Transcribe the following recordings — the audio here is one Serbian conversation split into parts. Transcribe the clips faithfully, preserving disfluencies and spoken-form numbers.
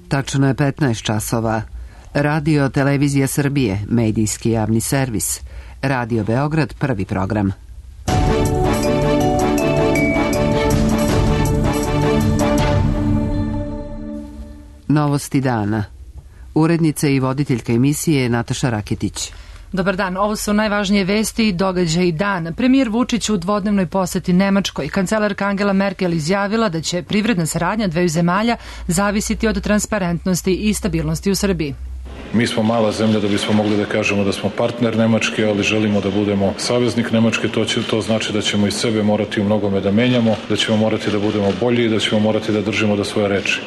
Tačno je petnaest časova. Radio Televizija Srbije, medijski javni servis. Radio Beograd, prvi program. Novosti dana. Urednica i voditeljka emisije Nataša Raketić. Dobar dan, ovo su najvažnije vesti i događaji dan. Premijer Vučić u dvodnevnoj poseti Nemačkoj. Kancelarka Angela Merkel izjavila da će privredna saradnja dveju zemalja zavisiti od transparentnosti i stabilnosti u Srbiji. Mi smo mala zemlja da bismo mogli da kažemo da smo partner Nemačke, ali želimo da budemo saveznik Nemačke. To, će, to znači da ćemo iz sebe morati u mnogome da menjamo, da ćemo morati da budemo bolji i da ćemo morati da držimo do svoje reči.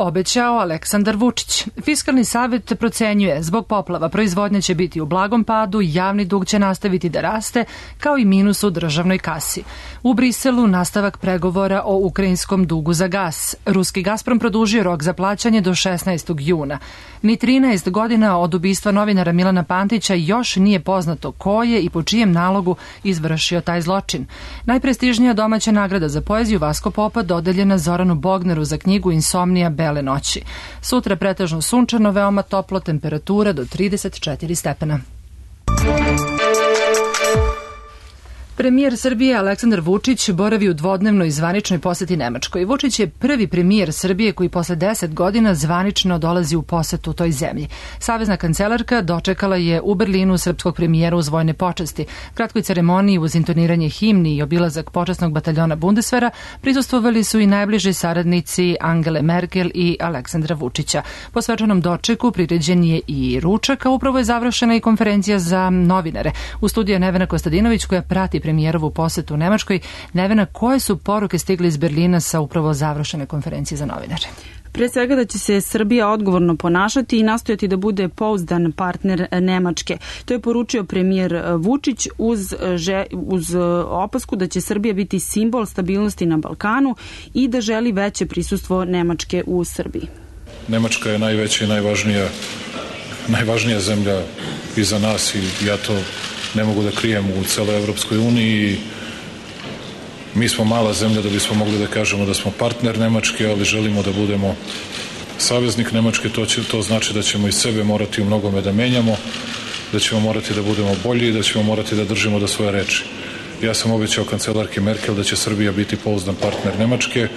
Obećao Aleksandar Vučić. Fiskalni savet procenjuje, zbog poplava proizvodnja će biti u blagom padu, javni dug će nastaviti da raste, kao i minus u državnoj kasi. U Briselu nastavak pregovora o ukrajinskom dugu za gas. Ruski Gazprom produžio rok za plaćanje do šesnaestog juna. Ni trinaest godina od ubistva novinara Milana Pantića još nije poznato ko je i po čijem nalogu izvršio taj zločin. Najprestižnija domaća nagrada za poeziju Vasko Popa dodeljena Zoranu Bogneru za knjigu Insomnija bele noći. Sutra pretežno sunčano, veoma toplo, temperatura do trideset četiri stepena. Premijer Srbije Aleksandar Vučić boravi u dvodnevnoj zvaničnoj poseti Nemačkoj. Vučić je prvi premijer Srbije koji posle deset godina zvanično dolazi u posetu toj zemlji. Savezna kancelarka dočekala je u Berlinu srpskog premijera uz vojne počasti. Kratkoj ceremoniji uz intoniranje himni i obilazak počasnog bataljona Bundeswehra prisustvovali su i najbliži saradnici Angele Merkel i Aleksandra Vučića. Po svečanom dočeku priređen je i ručak, a upravo je završena i konferencija za novinare. U studiju je Nevena Kostadinović koja prati premijerovu posetu u Nemačkoj. Nevena, koje su poruke stigle iz Berlina sa upravo završene konferencije za novinare? Pre svega da će se Srbija odgovorno ponašati i nastojati da bude pouzdan partner Nemačke. To je poručio premijer Vučić uz, uz opasku da će Srbija biti simbol stabilnosti na Balkanu i da želi veće prisustvo Nemačke u Srbiji. Nemačka je najveća i najvažnija, najvažnija zemlja i za nas i ja to ne mogu da krijem u celoj Evropskoj uniji. Mi smo mala zemlja da bismo mogli da kažemo da smo partner Nemačke, ali želimo da budemo saveznik Nemačke. To, će, to znači da ćemo iz sebe morati u mnogome da menjamo, da ćemo morati da budemo bolji i da ćemo morati da držimo do svoje reči. Ja sam obećao kancelarki Merkel da će Srbija biti pouzdan partner Nemačke.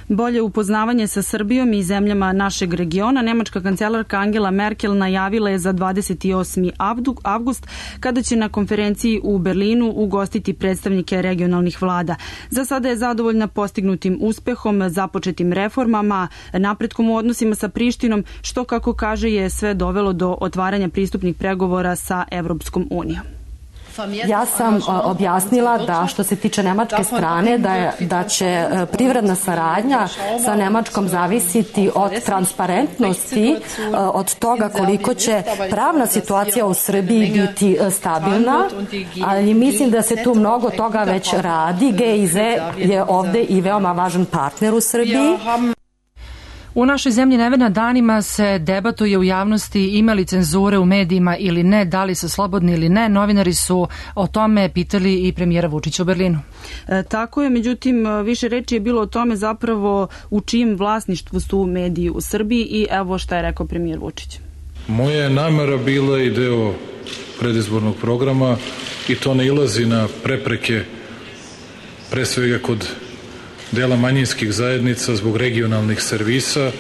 Bolje upoznavanje sa Srbijom i zemljama našeg regiona nemačka kancelarka Angela Merkel najavila je za dvadeset osmi avgust kada će na konferenciji u Berlinu ugostiti predstavnike regionalnih vlada. Za sada je zadovoljna postignutim uspehom, započetim reformama, napretkom u odnosima sa Prištinom, što kako kaže je sve dovelo do otvaranja pristupnih pregovora sa Evropskom unijom. Ja sam objasnila da što se tiče nemačke strane da, je, da će privredna saradnja sa Nemačkom zavisiti od transparentnosti, od toga koliko će pravna situacija u Srbiji biti stabilna, ali mislim da se tu mnogo toga već radi. G I Z je ovde i veoma važan partner u Srbiji. U našoj zemlji, Nevena, danima se debatuje u javnosti ima li cenzure u medijima ili ne, da li su slobodni ili ne. Novinari su o tome pitali i premijera Vučića u Berlinu. E, tako je, međutim, više reči je bilo o tome zapravo u čijem vlasništvu su mediji u Srbiji i evo šta je rekao premijer Vučić. Moja je namera bila i deo predizbornog programa i to ne ilazi na prepreke pre svega kod dela manjinskih zajednica zbog regionalnih servisa.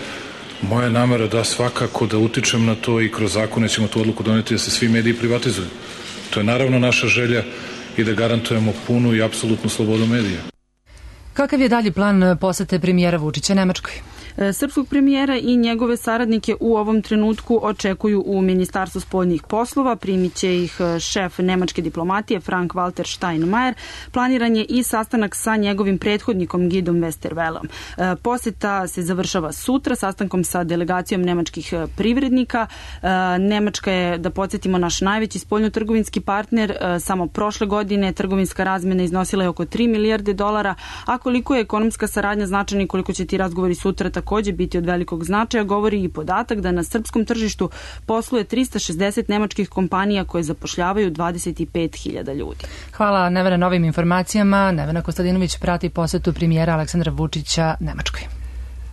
Moja namera da svakako da utičem na to i kroz zakone ćemo tu odluku doneti da se svi mediji privatizuju. To je naravno naša želja i da garantujemo punu i apsolutnu slobodu medija. Kakav je dalji plan posete premijera Vučića Nemačkoj? Srpskog premijera i njegove saradnike u ovom trenutku očekuju u Ministarstvu spoljnih poslova. Primit će ih šef nemačke diplomatije Frank Walter Steinmeier. Planiran je i sastanak sa njegovim prethodnikom Gidom Westervelom. Poseta se završava sutra sastankom sa delegacijom nemačkih privrednika. Nemačka je, da podsjetimo, naš najveći spoljnotrgovinski partner. Samo prošle godine trgovinska razmena iznosila je oko tri milijarde dolara, a koliko je ekonomska saradnja značajna i koliko će ti razgovori sutra takođe biti od velikog značaja, govori i podatak da na srpskom tržištu posluje trista šezdeset nemačkih kompanija koje zapošljavaju dvadeset pet hiljada ljudi. Hvala Nevena na ovim informacijama. Nevena Kostadinović prati posetu premijera Aleksandra Vučića Nemačkoj.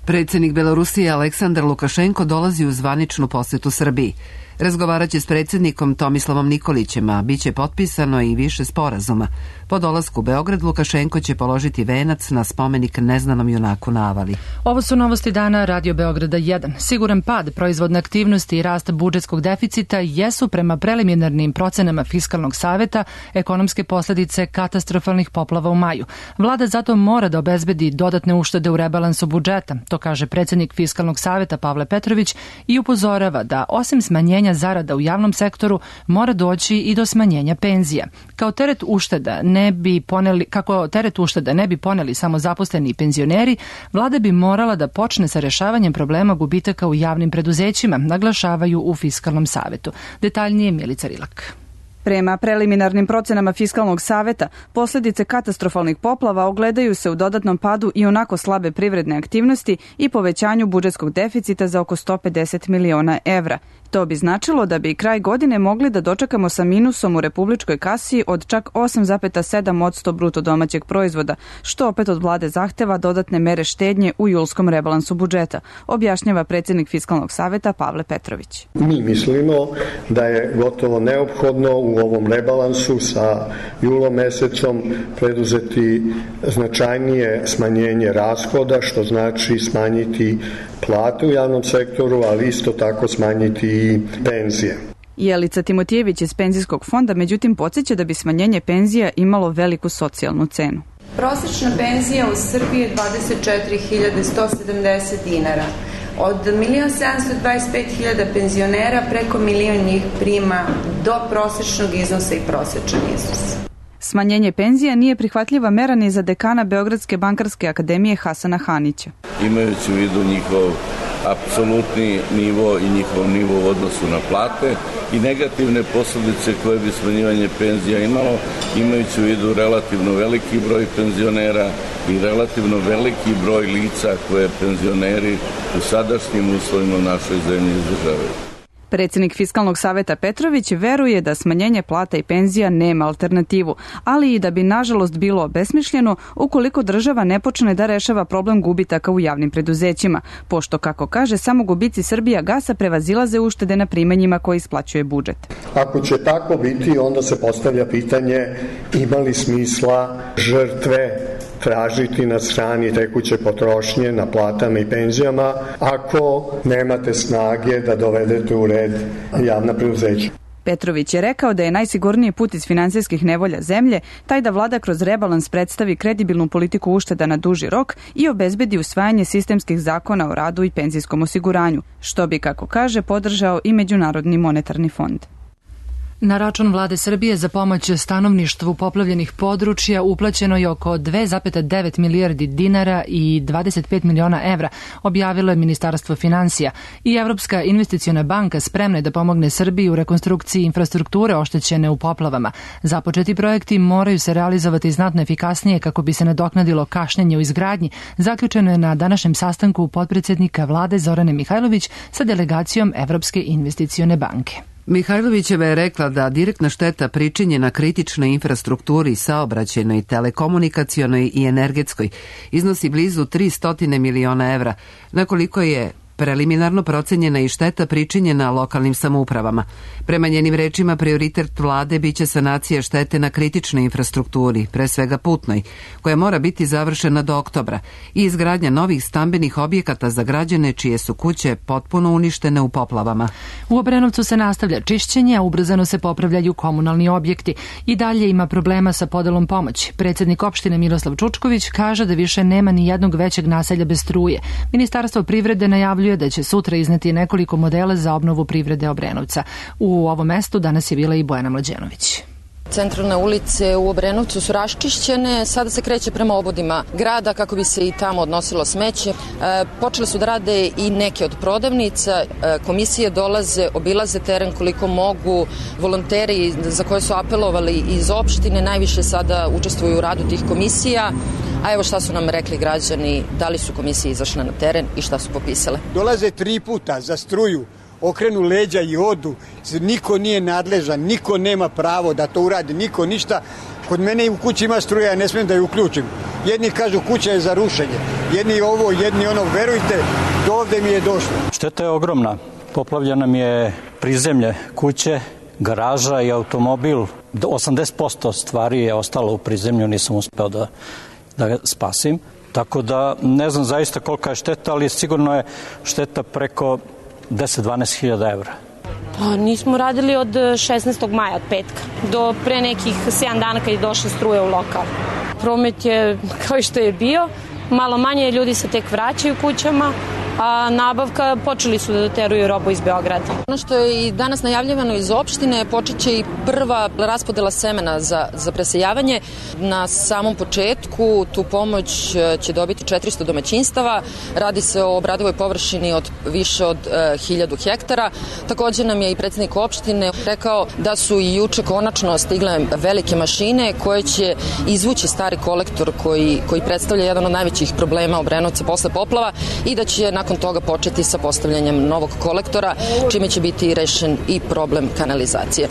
Predsjednik Belorusije Aleksandar Lukašenko dolazi u zvaničnu posetu Srbiji. Razgovaraće s predsjednikom Tomislavom Nikolićem, a bit će potpisano i više sporazuma. Po dolasku u Beograd Lukašenko će položiti venac na spomenik neznanom junaku na Avali. Ovo su novosti dana Radio Beograda jedan. Siguran pad proizvodne aktivnosti i rast budžetskog deficita jesu prema preliminarnim procenama Fiskalnog saveta ekonomske posljedice katastrofalnih poplava u maju. Vlada zato mora da obezbedi dodatne uštede u rebalansu budžeta, to kaže predsjednik Fiskalnog saveta Pavle Petrović i upozorava da osim smanjenja zarada u javnom sektoru mora doći i do smanjenja penzija. Kao teret ušteda ne bi poneli, kako teret ušteda ne bi poneli samo zaposleni i penzioneri, vlada bi morala da počne sa rešavanjem problema gubitaka u javnim preduzećima, naglašavaju u Fiskalnom savetu. Detaljnije Milica Rilak. Prema preliminarnim procenama Fiskalnog saveta, posljedice katastrofalnih poplava ogledaju se u dodatnom padu i onako slabe privredne aktivnosti i povećanju budžetskog deficita za oko sto pedeset miliona evra. To bi značilo da bi kraj godine mogli da dočekamo sa minusom u republičkoj kasi od čak osam zarez sedam posto bruto domaćeg proizvoda, što opet od vlade zahteva dodatne mere štednje u julskom rebalansu budžeta, objašnjava predsjednik Fiskalnog saveta Pavle Petrović. Mi mislimo da je gotovo neophodno u ovom rebalansu sa julom mesecom preduzeti značajnije smanjenje rashoda, što znači smanjiti plate u javnom sektoru, ali isto tako smanjiti i penzije. Jelica Timotijević iz Penzijskog fonda međutim podsjeća da bi smanjenje penzija imalo veliku socijalnu cenu. Prosječna penzija u Srbiji je dvadeset četiri hiljade sto sedamdeset dinara. Od milion sedamsto dvadeset pet hiljada penzionera preko milion njih prima do prosječnog iznosa i prosječan iznos. Smanjenje penzija nije prihvatljiva mera ni za dekana Beogradske bankarske akademije Hasana Hanića. Imajući u vidu njihov apsolutni nivo i njihov nivo u odnosu na plate i negativne posljedice koje bi smanjivanje penzija imalo, imajući u vidu relativno veliki broj penzionera i relativno veliki broj lica koje penzioneri u sadašnjim uslovima u našoj zemlji izdržavaju. Predsjednik Fiskalnog saveta Petrović veruje da smanjenje plata i penzija nema alternativu, ali i da bi nažalost bilo obesmišljeno ukoliko država ne počne da rešava problem gubitaka u javnim preduzećima, pošto, kako kaže, samo gubici Srbija gasa prevazilaze uštede na primanjima koje isplaćuje budžet. Ako će tako biti, onda se postavlja pitanje ima li smisla žrtve tražiti na strani tekuće potrošnje na platama i penzijama ako nemate snage da dovedete u red javna preduzeća. Petrović je rekao da je najsigurniji put iz finansijskih nevolja zemlje taj da vlada kroz rebalans predstavi kredibilnu politiku ušteda na duži rok i obezbedi usvajanje sistemskih zakona o radu i penzijskom osiguranju, što bi, kako kaže, podržao i Međunarodni monetarni fond. Na račun vlade Srbije za pomoć stanovništvu poplavljenih područja uplaćeno je oko dve zarez devet milijardi dinara i dvadeset pet miliona evra, objavilo je Ministarstvo finansija. I Evropska investiciona banka spremna je da pomogne Srbiji u rekonstrukciji infrastrukture oštećene u poplavama. Započeti projekti moraju se realizovati znatno efikasnije kako bi se nadoknadilo kašnjenje u izgradnji, zaključeno je na današnjem sastanku potpredsjednika vlade Zorane Mihajlović sa delegacijom Evropske investicione banke. Mihajlovićeva je rekla da direktna šteta pričinjena kritičnoj infrastrukturi, saobraćajnoj, telekomunikacionoj i energetskoj iznosi blizu tristo miliona evra, na koliko je preliminarno procenjena i šteta pričinjena lokalnim samoupravama. Prema njenim rečima, prioritet vlade biće sanacija štete na kritičnoj infrastrukturi, pre svega putnoj, koja mora biti završena do oktobra, i izgradnja novih stambenih objekata za građane čije su kuće potpuno uništene u poplavama. U Obrenovcu se nastavlja čišćenje, a ubrzano se popravljaju komunalni objekti. I dalje ima problema sa podelom pomoći. Predsjednik opštine Miroslav Čučković kaže da više nema ni jednog većeg naselja bez struje. Ministarstvo privrede najavljuje da će sutra izneti nekoliko modela za obnovu privrede Obrenovca. U ovom mestu danas je bila i Bojana Mlađenović. Centralne ulice u Obrenovcu su raščišćene, sada se kreće prema obodima grada kako bi se i tamo odnosilo smeće. E, počele su da rade i neke od prodavnica, e, komisije dolaze, obilaze teren koliko mogu, volonteri za koje su apelovali iz opštine najviše sada učestvuju u radu tih komisija. A evo šta su nam rekli građani, da li su komisije izašle na teren i šta su popisale. Dolaze tri puta za struju, okrenu leđa i odu, niko nije nadležan, niko nema pravo da to uradi, niko ništa. Kod mene i u kući ima struja, ja ne smijem da ju uključim. Jedni kažu kuća je za rušenje, jedni ovo, jedni ono, verujte, do ovde mi je došlo. Šteta je ogromna. Poplavljena mi je prizemlje kuće, garaža i automobil. osamdeset posto stvari je ostalo u prizemlju, nisam uspeo da, da ga spasim. Tako da ne znam zaista kolika je šteta, ali sigurno je šteta preko deset do dvanaest hiljada evra. Pa nismo radili od šesnaestog maja, od petka, do pre nekih sedam dana kad je došla struja u lokal. Promet je kao i što je bio, malo manje, ljudi se tek vraćaju kućama, a nabavka počeli su da doteruju robu iz Beograda. Ono što je i danas najavljivano iz opštine, počet će i prva raspodela semena za, za presejavanje. Na samom početku tu pomoć će dobiti četiristo domaćinstava. Radi se o obradivoj površini od više od e, hiljadu hektara. Takođe nam je i predsednik opštine rekao da su i juče konačno stigle velike mašine koje će izvući stari kolektor koji, koji predstavlja jedan od najvećih problema Obrenovca posle poplava i da će nakon toga početi sa postavljanjem novog kolektora, čime će biti rešen i problem kanalizacije.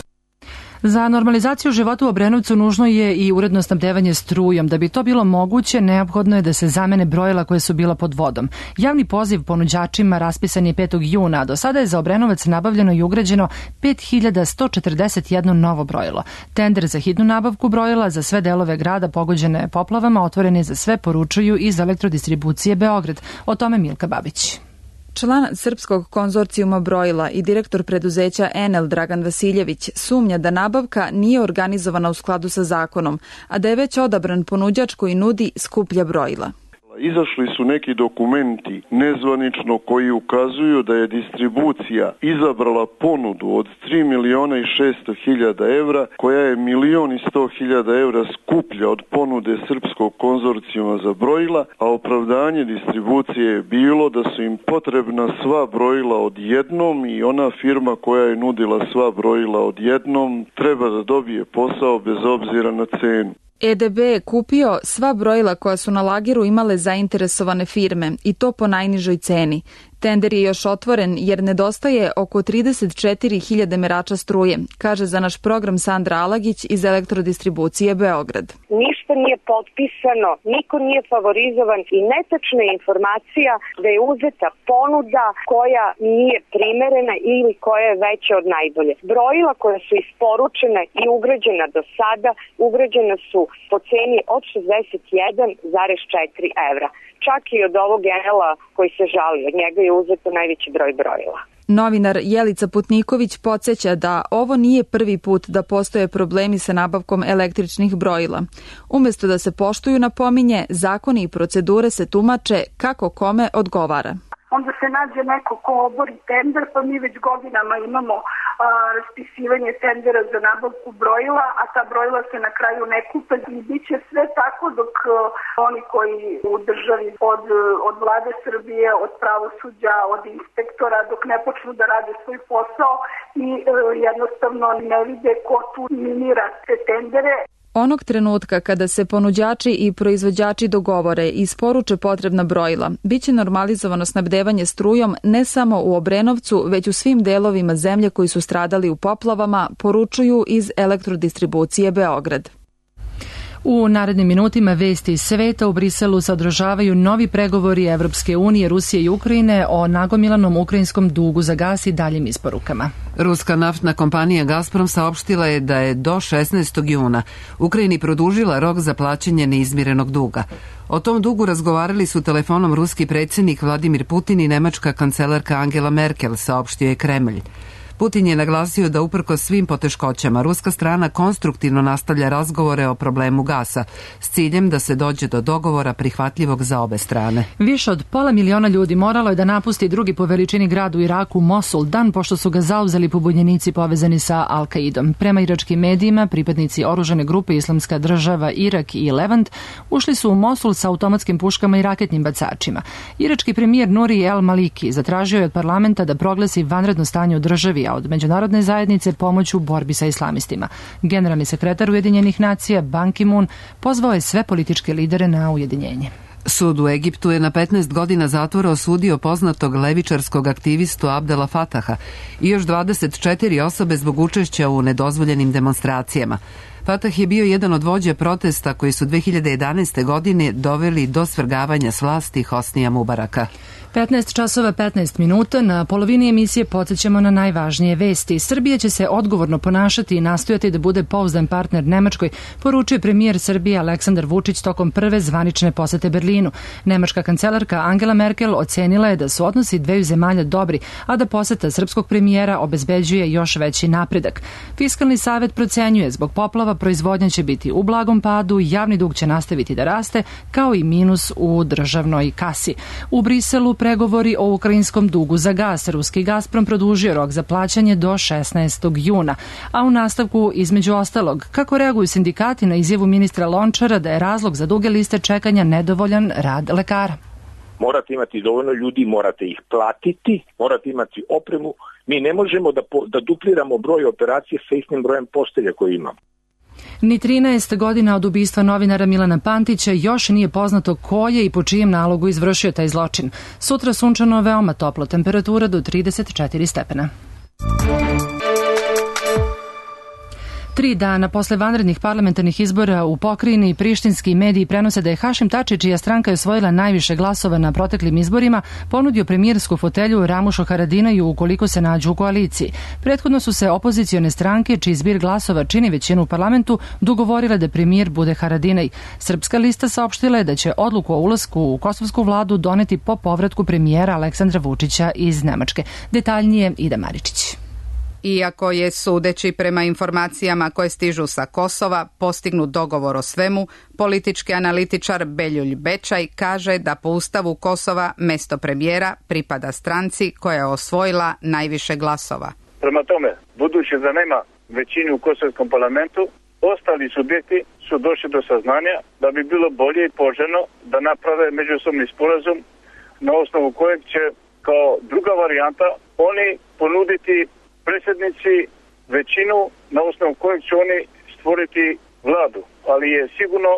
Za normalizaciju života u Obrenovcu nužno je i uredno snabdevanje strujom. Da bi to bilo moguće, neophodno je da se zamene brojila koje su bila pod vodom. Javni poziv ponuđačima raspisan je petog juna, a do sada je za Obrenovac nabavljeno i ugrađeno pet hiljada sto četrdeset jedno novo brojilo. Tender za hitnu nabavku brojila za sve delove grada pogođene poplavama otvoren je za sve, poručuju iz Elektrodistribucije Beograd. O tome Milka Babić. Član Srpskog konzorcijuma brojila i direktor preduzeća Enel Dragan Vasiljević sumnja da nabavka nije organizovana u skladu sa zakonom, a da je već odabran ponuđač koji nudi skuplja brojila. Izašli su neki dokumenti nezvanično koji ukazuju da je distribucija izabrala ponudu od tri miliona i šesto hiljada evra, koja je milion i sto hiljada evra skuplja od ponude Srpskog konzorcijuma za brojila, a opravdanje distribucije je bilo da su im potrebna sva brojila odjednom i ona firma koja je nudila sva brojila odjednom treba da dobije posao bez obzira na cenu. E D B je kupio sva brojila koja su na lageru imale zainteresovane firme i to po najnižoj ceni. Tender je još otvoren jer nedostaje oko trideset četiri hiljade merača struje, kaže za naš program Sandra Alagić iz Elektrodistribucije Beograd. Ništa nije potpisano, niko nije favorizovan i netačna je informacija da je uzeta ponuda koja nije primerena ili koja je veća od najbolje. Brojila koja su isporučena i ugrađena do sada, ugrađena su po ceni od šezdeset jedan zarez četiri evra. Čak i od ovog Enela koji se žali, od njega je uzeto najveći broj brojila. Novinar Jelica Putniković podsjeća da ovo nije prvi put da postoje problemi sa nabavkom električnih brojila. Umesto da se poštuju, napominje, zakoni i procedure se tumače kako kome odgovara. Onda se nađe neko ko obori tender, pa mi već godinama imamo a, raspisivanje tendera za nabavku brojila, a ta brojila se na kraju ne kupe i bit će sve tako dok a, oni koji u državi od, od vlade Srbije, od pravosuđa, od inspektora, dok ne počnu da rade svoj posao i a, jednostavno ne vide ko tu minira te tendere. Onog trenutka kada se ponuđači i proizvođači dogovore i isporuče potrebna brojila, biće normalizovano snabdevanje strujom ne samo u Obrenovcu, već u svim delovima zemlje koji su stradali u poplavama, poručuju iz Elektrodistribucije Beograd. U narednim minutima vesti iz sveta u Briselu sadržavaju novi pregovori Evropske unije, Rusije i Ukrajine o nagomilanom ukrajinskom dugu za gas i daljim isporukama. Ruska naftna kompanija Gazprom saopštila je da je do šesnaestog juna Ukrajini produžila rok za plaćanje neizmirenog duga. O tom dugu razgovarali su telefonom ruski predsjednik Vladimir Putin i nemačka kancelarka Angela Merkel, saopštio je Kremlj. Putin je naglasio da uprkos svim poteškoćama ruska strana konstruktivno nastavlja razgovore o problemu gasa s ciljem da se dođe do dogovora prihvatljivog za obe strane. Više od pola miliona ljudi moralo je da napusti drugi po veličini grad u Iraku, Mosul, dan pošto su ga zauzeli pobunjenici povezani sa Al-Kaidom. Prema iračkim medijima, pripadnici oružane grupe Islamska država, Irak i Levant ušli su u Mosul sa automatskim puškama i raketnim bacačima. Irački premijer Nuri El Maliki zatražio je od parlamenta da proglasi vanredno stanje u državi, a od međunarodne zajednice pomoć u borbi sa islamistima. Generalni sekretar Ujedinjenih nacija Ban Ki-moon pozvao je sve političke lidere na ujedinjenje. Sud u Egiptu je na petnaest godina zatvora osudio poznatog levičarskog aktivistu Abdela Fataha i još dvadeset četiri osobe zbog učešća u nedozvoljenim demonstracijama. Fatah je bio jedan od vođa protesta koji su dve hiljade jedanaeste. godine doveli do svrgavanja s vlasti Hosnija Mubaraka. petnaest časova petnaest minuta, na polovini emisije podsjećamo na najvažnije vesti. Srbija će se odgovorno ponašati i nastojati da bude pouzdan partner Nemačkoj, poručuje premijer Srbije Aleksandar Vučić tokom prve zvanične posete Berlinu. Nemačka kancelarka Angela Merkel ocenila je da su odnosi dveju zemalja dobri, a da poseta srpskog premijera obezbeđuje još veći napredak. Fiskalni savet procenjuje zbog poplava proizvodnja će biti u blagom padu, javni dug će nastaviti da raste, kao i minus u državnoj kasi. U Briselu pregovori o ukrajinskom dugu za gas. Ruski Gazprom produžio rok za plaćanje do šesnaestog juna. A u nastavku, između ostalog, kako reaguju sindikati na izjavu ministra Lončara da je razlog za duge liste čekanja nedovoljan rad lekara? Morate imati dovoljno ljudi, morate ih platiti, morate imati opremu. Mi ne možemo da, po, da dupliramo broj operacije sa istim brojem postelja koje imamo. Ni trinaest godina od ubistva novinara Milana Pantića još nije poznato ko je i po čijem nalogu izvršio taj zločin. Sutra sunčano, veoma toplo, temperatura do trideset četiri stepena. Tri dana posle vanrednih parlamentarnih izbora u pokrajini prištinski mediji prenose da je Hašim Tači, čija stranka je osvojila najviše glasova na proteklim izborima, ponudio premijersku fotelju Ramušu Haradinaju ukoliko se nađu u koaliciji. Prethodno su se opozicione stranke, čiji zbir glasova čini većinu u parlamentu, dogovorile da premijer bude Haradinaj. Srpska lista saopštila je da će odluku o ulasku u kosovsku vladu doneti po povratku premijera Aleksandra Vučića iz Nemačke. Detaljnije Ida Maričić. Iako je, sudeći prema informacijama koje stižu sa Kosova, postignut dogovor o svemu, politički analitičar Beljulj Bečaj kaže da po ustavu Kosova mesto premijera pripada stranci koja je osvojila najviše glasova. Prema tome, budući da nema većine u kosovskom parlamentu, ostali subjekti su došli do saznanja da bi bilo bolje i poželjno da naprave međusobni sporazum na osnovu kojeg će kao druga varijanta oni ponuditi predsjednici većinu na osnovu kojeg će oni stvoriti vladu. Ali je sigurno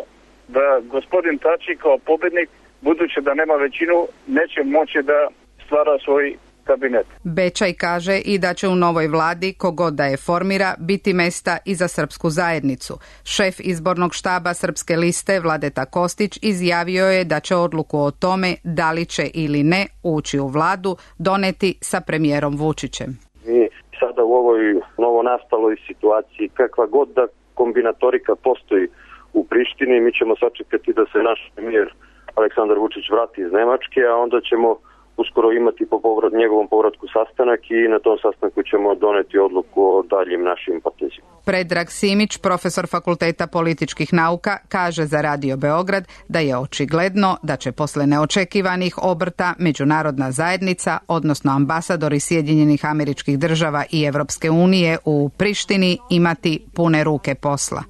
da gospodin Tači kao pobjednik, budući da nema većinu, neće moći da stvara svoj kabinet. Bečaj kaže i da će u novoj vladi, kogod da je formira, biti mesta i za srpsku zajednicu. Šef izbornog štaba Srpske liste Vladeta Kostić izjavio je da će odluku o tome da li će ili ne ući u vladu doneti sa premijerom Vučićem. Mi sada u ovoj novonastaloj situaciji, kakva god da kombinatorika postoji u Prištini, mi ćemo sačekati da se naš premijer Aleksandar Vučić vrati iz Nemačke, a onda ćemo uskoro imati po povrat, njegovom povratku sastanak i na tom sastanku ćemo doneti odluku o daljim našim potezima. Predrag Simić, profesor Fakulteta političkih nauka, kaže za Radio Beograd da je očigledno da će posle neočekivanih obrta međunarodna zajednica, odnosno ambasadori Sjedinjenih Američkih Država i Evropske unije u Prištini imati pune ruke posla.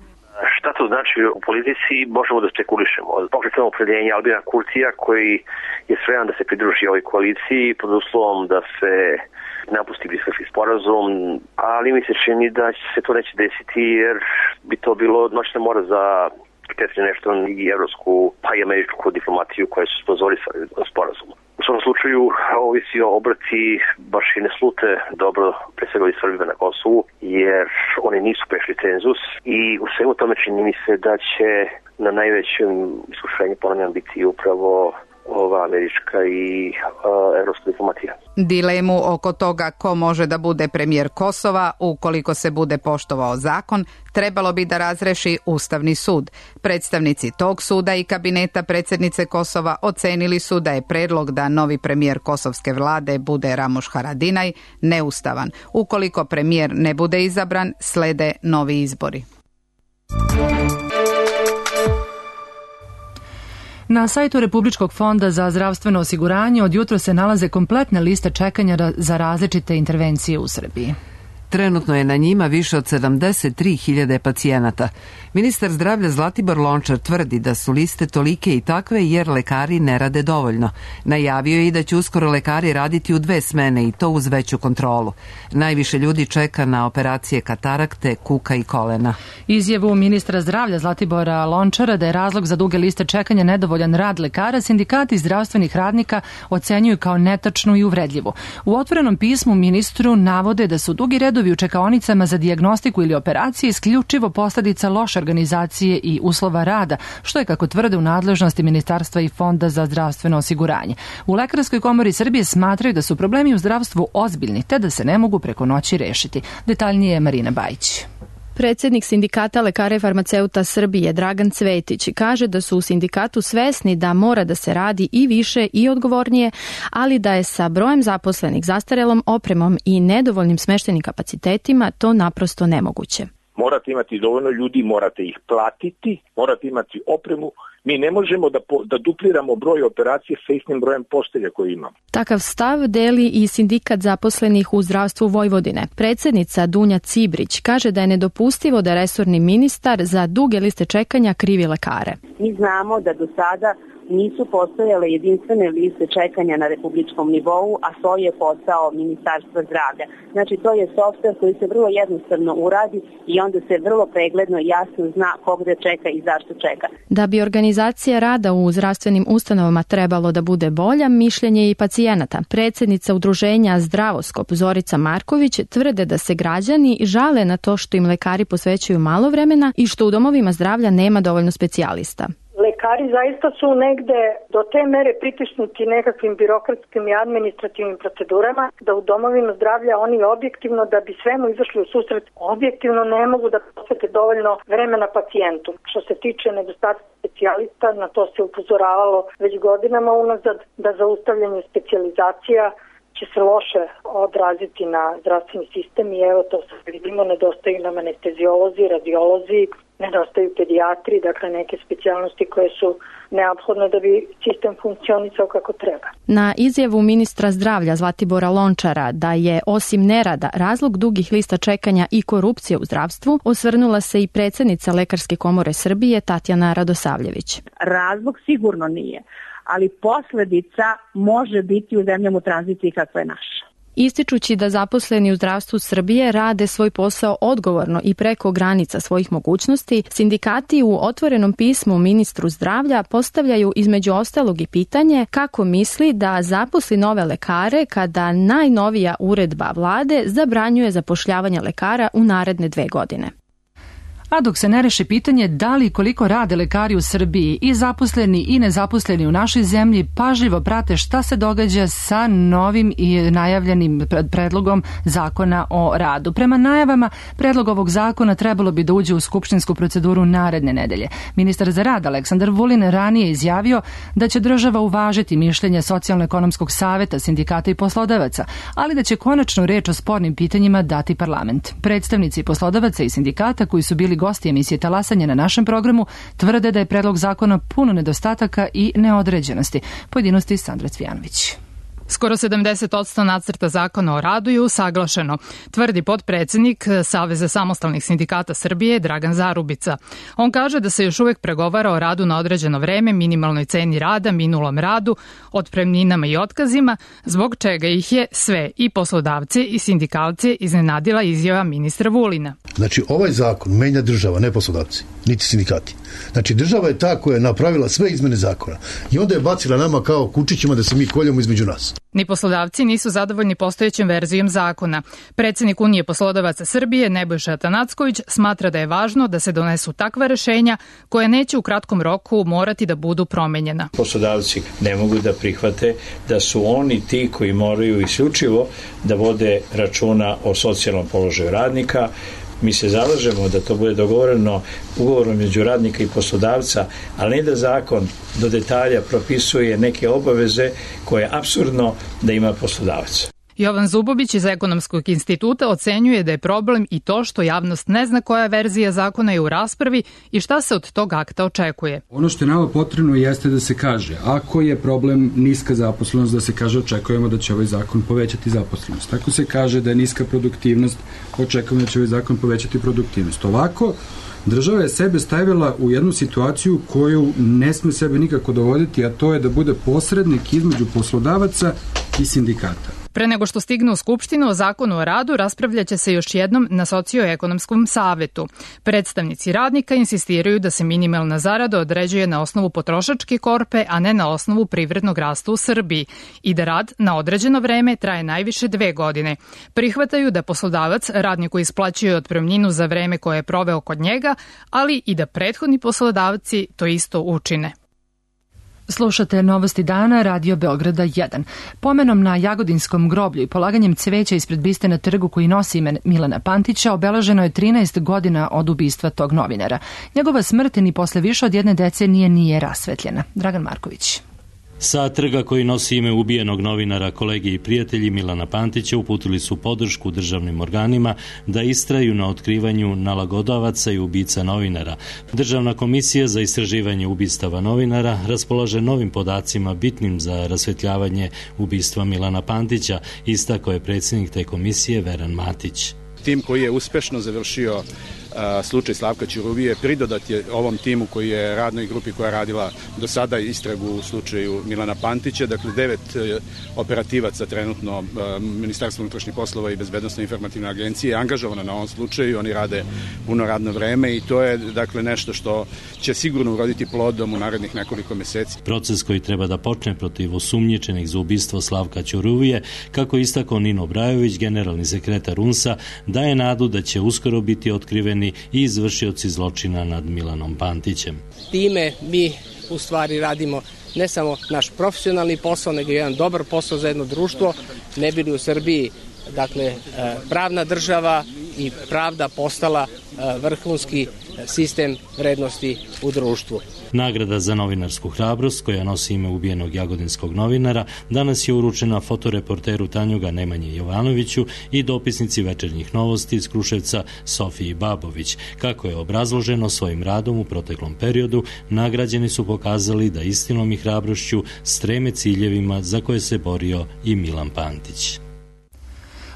Šta to znači u politici, možemo da spekulišemo. Pokretno opredjenje Albina Kurtija koji je spreman da se pridruži ovoj koaliciji pod uslovom da se napusti Briselski sporazum, ali mi se čini da se to neće desiti jer bi to bilo noćna mora za nešto i evropsku pa i američku diplomatiju koja su sponzorisali sporazum. U svom slučaju ovisi o obrti baš i ne slute dobro pre svega i Srbima na Kosovu jer oni nisu prešli cenzus i u svemu tome čini mi se da će na najvećem iskušenju ponavljam biti upravo ova američka i uh, evropska diplomatija. Dilemu oko toga ko može da bude premijer Kosova ukoliko se bude poštovao zakon trebalo bi da razreši Ustavni sud. Predstavnici tog suda i kabineta predsjednice Kosova ocenili su da je predlog da novi premijer kosovske vlade bude Ramuš Haradinaj neustavan. Ukoliko premijer ne bude izabran, slede novi izbori. Na sajtu Republičkog fonda za zdravstveno osiguranje od jutra se nalaze kompletne liste čekanja za različite intervencije u Srbiji. Trenutno je na njima više od sedamdeset tri hiljade pacijenata. Ministar zdravlja Zlatibor Lončar tvrdi da su liste tolike i takve jer lekari ne rade dovoljno. Najavio je i da će uskoro lekari raditi u dve smene i to uz veću kontrolu. Najviše ljudi čeka na operacije katarakte, kuka i kolena. Izjavu ministra zdravlja Zlatibora Lončara da je razlog za duge liste čekanja nedovoljan rad lekara, sindikati zdravstvenih radnika ocenjuju kao netačnu i uvredljivu. U otvorenom pismu ministru navode da su dugi redovi redovi u čekaonicama za dijagnostiku ili operacije isključivo posljedica loše organizacije i uslova rada, što je, kako tvrde, u nadležnosti Ministarstva i Fonda za zdravstveno osiguranje. U Lekarskoj komori Srbije smatraju da su problemi u zdravstvu ozbiljni, te da se ne mogu preko noći rešiti. Detaljnije je Marina Bajić. Predsednik Sindikata lekara i farmaceuta Srbije Dragan Cvetić kaže da su u sindikatu svesni da mora da se radi i više i odgovornije, ali da je sa brojem zaposlenih, zastarelom opremom i nedovoljnim smeštenim kapacitetima to naprosto nemoguće. Morate imati dovoljno ljudi, morate ih platiti, morate imati opremu. Mi ne možemo da, po, da dupliramo broj operacije sa istim brojem postelja koje imamo. Takav stav deli i sindikat zaposlenih u zdravstvu Vojvodine. Predsednica Dunja Cibrić kaže da je nedopustivo da resorni ministar za duge liste čekanja krivi lekare. Mi znamo da do sada nisu postojale jedinstvene liste čekanja na republičkom nivou, a to je posao Ministarstva zdravlja. Znači, to je softver koji se vrlo jednostavno uradi i onda se vrlo pregledno i jasno zna kog da čeka i zašto čeka. Da bi organizacija rada u zdravstvenim ustanovama trebalo da bude bolja, mišljenje i pacijenata. Predsednica udruženja Zdravoskop Zorica Marković tvrde da se građani žale na to što im lekari posvećuju malo vremena i što u domovima zdravlja nema dovoljno specijalista. Lekari zaista su negde do te mere pritisnuti nekakvim birokratskim i administrativnim procedurama da u domovima zdravlja oni objektivno, da bi svemu izašli u susret, objektivno ne mogu da posvete dovoljno vremena pacijentu. Što se tiče nedostatka specijalista, na to se upozoravalo već godinama unazad, da zaustavljanje specijalizacija će se loše odraziti na zdravstveni sistem i evo to se vidimo, nedostaju nam anesteziolozi, radiolozi, nedostaju pedijatri, dakle neke specijalnosti koje su neophodne da bi sistem funkcionisao kako treba. Na izjavu ministra zdravlja Zlatibora Lončara da je osim nerada razlog dugih lista čekanja i korupcije u zdravstvu, osvrnula se i predsednica Lekarske komore Srbije Tatjana Radosavljević. Razlog sigurno nije, ali posledica može biti u zemljama u tranziciji kakva je naša. Ističući da zaposleni u zdravstvu Srbije rade svoj posao odgovorno i preko granica svojih mogućnosti, sindikati u otvorenom pismu ministru zdravlja postavljaju između ostalog i pitanje kako misli da zaposli nove lekare kada najnovija uredba vlade zabranjuje zapošljavanje lekara u naredne dve godine. A dok se ne reši pitanje da li koliko rade lekari u Srbiji, i zaposleni i nezaposleni u našoj zemlji pažljivo prate šta se događa sa novim i najavljenim predlogom zakona o radu. Prema najavama, predlog ovog zakona trebalo bi da uđe u skupštinsku proceduru naredne nedelje. Ministar za rad Aleksandar Vulin ranije izjavio da će država uvažiti mišljenje Socijalno-ekonomskog saveta, sindikata i poslodavaca, ali da će konačnu reč o spornim pitanjima dati parlament. Predstavnici poslodavaca i sindikata koji su bili gosti emisije Talasanje na našem programu tvrde da je predlog zakona puno nedostataka i neodređenosti. Pojedinosti Sandra Cvijanović. Skoro sedamdeset posto nacrta zakona o radu je usaglašeno, tvrdi potpredsednik Saveza samostalnih sindikata Srbije Dragan Zarubica. On kaže da se još uvek pregovara o radu na određeno vreme, minimalnoj ceni rada, minulom radu, otpremninama i otkazima, zbog čega ih je sve, i poslodavce i sindikalce, iznenadila izjava ministra Vulina. Znači, ovaj zakon menja država, ne poslodavci, niti sindikati. Znači, država je ta koja je napravila sve izmene zakona i onda je bacila nama kao kučićima da se mi koljemo između nas. Ni poslodavci nisu zadovoljni postojećom verzijom zakona. Predsednik Unije poslodavaca Srbije Nebojša Atanacković smatra da je važno da se donesu takva rešenja koja neće u kratkom roku morati da budu promenjena. Poslodavci ne mogu da prihvate da su oni ti koji moraju isključivo da vode računa o socijalnom položaju radnika. Mi se zalažemo da to bude dogovoreno ugovorom među radnika i poslodavca, ali ne da zakon do detalja propisuje neke obaveze koje je apsurdno da ima poslodavac. Jovan Zubović iz Ekonomskog instituta ocenjuje da je problem i to što javnost ne zna koja verzija zakona je u raspravi i šta se od tog akta očekuje. Ono što je nama potrebno jeste da se kaže, ako je problem niska zaposlenost, da se kaže očekujemo da će ovaj zakon povećati zaposlenost. Ako se kaže da je niska produktivnost, očekujemo da će ovaj zakon povećati produktivnost. Ovako, država je sebe stavila u jednu situaciju koju ne sme sebe nikako dovoditi, a to je da bude posrednik između poslodavaca i sindikata. Pre nego što stigne u Skupštinu o zakonu o radu, raspravljaće se još jednom na socioekonomskom savetu. Predstavnici radnika insistiraju da se minimalna zarada određuje na osnovu potrošačke korpe, a ne na osnovu privrednog rasta u Srbiji i da rad na određeno vreme traje najviše dve godine. Prihvataju da poslodavac radniku isplaćuje otpremninu za vreme koje je proveo kod njega, ali i da prethodni poslodavci to isto učine. Slušate Novosti dana, Radio Beograda jedan. Pomenom na Jagodinskom groblju i polaganjem cveća ispred biste na trgu koji nosi ime Milana Pantića obeleženo je trinaest godina od ubistva tog novinara. Njegova smrt ni posle više od jedne decenije nije rasvetljena. Dragan Marković. Sa trga koji nosi ime ubijenog novinara, kolege i prijatelji Milana Pantića uputili su podršku državnim organima da istraju na otkrivanju nalagodavaca i ubica novinara. Državna komisija za istraživanje ubistava novinara raspolaže novim podacima bitnim za rasvetljavanje ubistva Milana Pantića, istakao je predsjednik te komisije Veran Matić. Tim koji je uspešno završio slučaj Slavka Ćuruvije pridodat je ovom timu koji je radnoj grupi koja je radila do sada istragu u slučaju Milana Pantića. Dakle, devet operativaca trenutno Ministarstvo unutrašnjih poslova i Bezbednosno informativne agencije je angažovano na ovom slučaju. Oni rade puno radno vreme i to je dakle nešto što će sigurno uroditi plodom u narednih nekoliko meseci. Proces koji treba da počne protiv osumnjičenih za ubistvo Slavka Ćuruvije, kako istakao Nino Brajović, generalni sekretar U N S-a, daje nadu da će uskoro biti otkriveni i izvršioci zločina nad Milanom Pantićem. Time mi u stvari radimo ne samo naš profesionalni posao, nego jedan dobar posao za jedno društvo, ne bi li u Srbiji dakle pravna država i pravda postala vrhunski sistem vrednosti u društvu. Nagrada za novinarsku hrabrost, koja nosi ime ubijenog jagodinskog novinara, danas je uručena fotoreporteru Tanjuga Nemanji Jovanoviću i dopisnici Večernjih novosti iz Kruševca Sofiji Babović. Kako je obrazloženo svojim radom u proteklom periodu, nagrađeni su pokazali da istinom i hrabrošću streme ciljevima za koje se borio i Milan Pantić.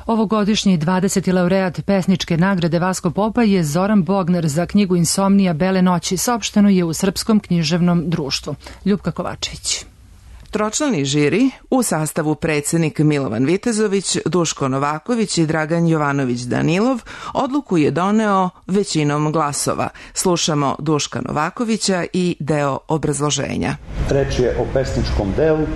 Ovogodišnji dvadeseti laureat pesničke nagrade Vasko Popa je Zoran Bogner za knjigu Insomnija Bele noći, saopšteno je u Srpskom književnom društvu. Ljupka Kovačević. Tročlani žiri u sastavu predsjednik Milovan Vitezović, Duško Novaković i Dragan Jovanović Danilov odluku je doneo većinom glasova. Slušamo Duška Novakovića i deo obrazloženja. Reč je o pesničkom delu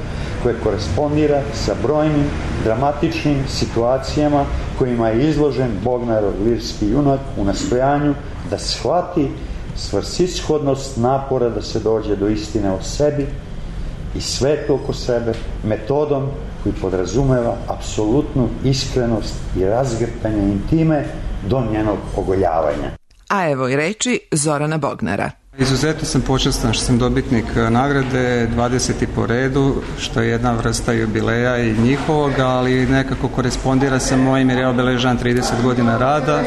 koje korespondira sa brojnim dramatičnim situacijama kojima je izložen Bognerov lirski junak u nastojanju da shvati svrsishodnost napora da se dođe do istine o sebi i svetu oko sebe metodom koji podrazumeva apsolutnu iskrenost i razgrtanje intime do njenog ogoljavanja. A evo i reči Zorana Bognera. Izuzetno sam počastan što sam dobitnik nagrade dvadeseti po redu, što je jedna vrsta jubileja i njihovog, ali nekako korespondira sa mojim jer je obeležan trideset godina rada.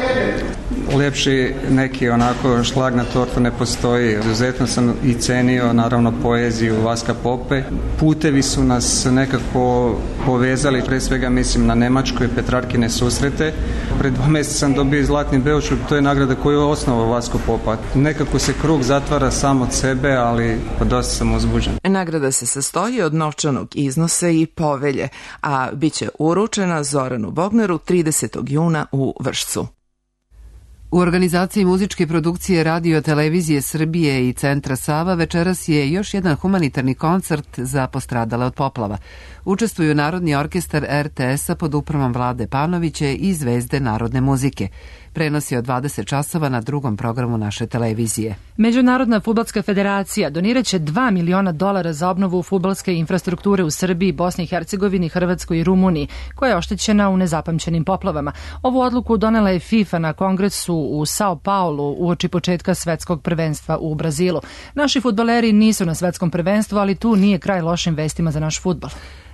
Lepši neki onako šlag na tortu ne postoji. Izuzetno sam i cenio naravno poeziju Vaska Pope. Putevi su nas nekako povezali, pre svega mislim na Nemačkoj Petrarkine susrete. Pred dva mjeseca sam dobio Zlatni Beočuk, to je nagrada koju je osnovao Vasko Popa. Nekako se krug zatvara sam od sebe, ali dosta sam uzbuđen. Nagrada se sastoji od novčanog iznosa i povelje, a bit će uručena Zoranu Bogneru tridesetog juna u Vršcu. U organizaciji muzičke produkcije Radio Televizije Srbije i Centra Sava večeras je još jedan humanitarni koncert za postradale od poplava. Učestvuju Narodni orkestar R T S-a pod upravom Vlade Panovića i Zvezde narodne muzike. Prenos je od dvadeset časova na drugom programu naše televizije. Međunarodna fudbalska federacija donirat će dva miliona dolara za obnovu fudbalske infrastrukture u Srbiji, Bosni i Hercegovini, Hrvatskoj i Rumuniji, koja je oštećena u nezapamćenim poplavama. Ovu odluku donela je FIFA na kongresu u Sao Paulu uoči početka svetskog prvenstva u Brazilu. Naši fudbaleri nisu na svetskom prvenstvu, ali tu nije kraj lošim vestima za naš fudbal.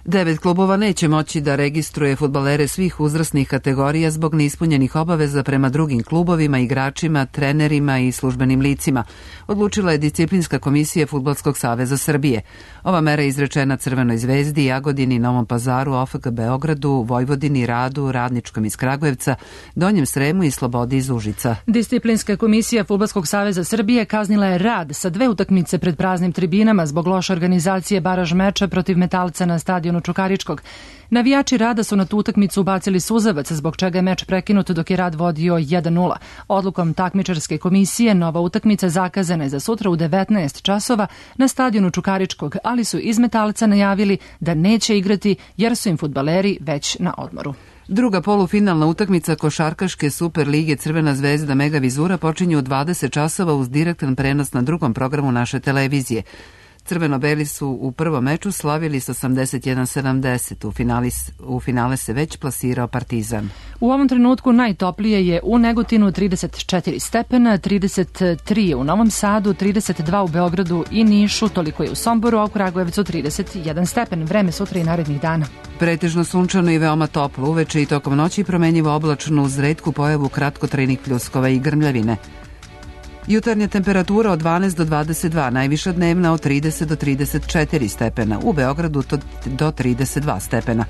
Devet klubova neće moći da registruje fudbalere svih uzrasnih kategorija zbog neispunjenih obaveza prema drugim klubovima, igračima, trenerima i službenim licima, odlučila je Disciplinska komisija Fudbalskog saveza Srbije. Ova mera je izrečena Crvenoj zvezdi, Jagodini, Novom Pazaru, O F K Beogradu, Vojvodini, Radu, Radničkom iz Kragujevca, Donjem Sremu i Slobodi iz Užica. Disciplinska komisija Fudbalskog saveza Srbije kaznila je Rad sa dve utakmice pred praznim tribinama zbog loše organizacije baraž meča protiv Metalca na stadionu stadionu Čukaričkog. Navijači Rada su na tu utakmicu ubacili suzavac, zbog čega je meč prekinut dok je Rad vodio jedan nula. Odlukom takmičarske komisije nova utakmica zakazana je za sutra u devetnaest časova na stadionu Čukaričkog, ali su iz Metalca najavili da neće igrati jer su im fudbaleri već na odmoru. Druga polufinalna utakmica košarkaške Super lige Crvena zvezda Mega Vizura počinje u dvadeset časova uz direktan prenos na drugom programu naše televizije. Crveno-beli su u prvom meču slavili s osamdeset jedan sedamdeset. U, u finale se već plasirao Partizan. U ovom trenutku najtoplije je u Negotinu trideset četiri stepena, trideset tri u Novom Sadu, trideset dva u Beogradu i Nišu, toliko je u Somboru, a u Kragujevcu trideset jedan stepen. Vreme sutra i narednih dana. Pretežno sunčano i veoma toplo, uveče i tokom noći promenjivo oblačno uz retku pojavu kratkotrajnih pljuskova i grmljavine. Jutarnja temperatura od dvanaest do dvadeset dva, najviša dnevna od trideset do trideset četiri stepena, u Beogradu do trideset dva stepena.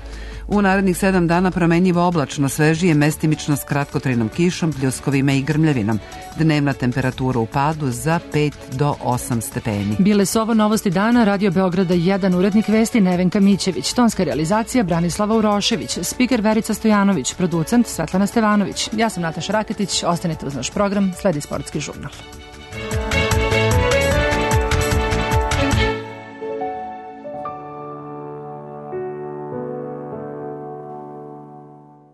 U narednih sedam dana promenjivo oblačno, svežije, mestimično s kratkotrajnom kišom, pljuskovima i grmljavinom. Dnevna temperatura u padu za pet do osam stepeni. Bile su ovo novosti dana, Radio Beograda jedan, urednik vesti Nevenka Mićević, tonska realizacija Branislava Urošević, spiker Verica Stojanović, producent Svetlana Stevanović. Ja sam Nataša Raketić, ostanite uz naš program, sledi sportski žurnal.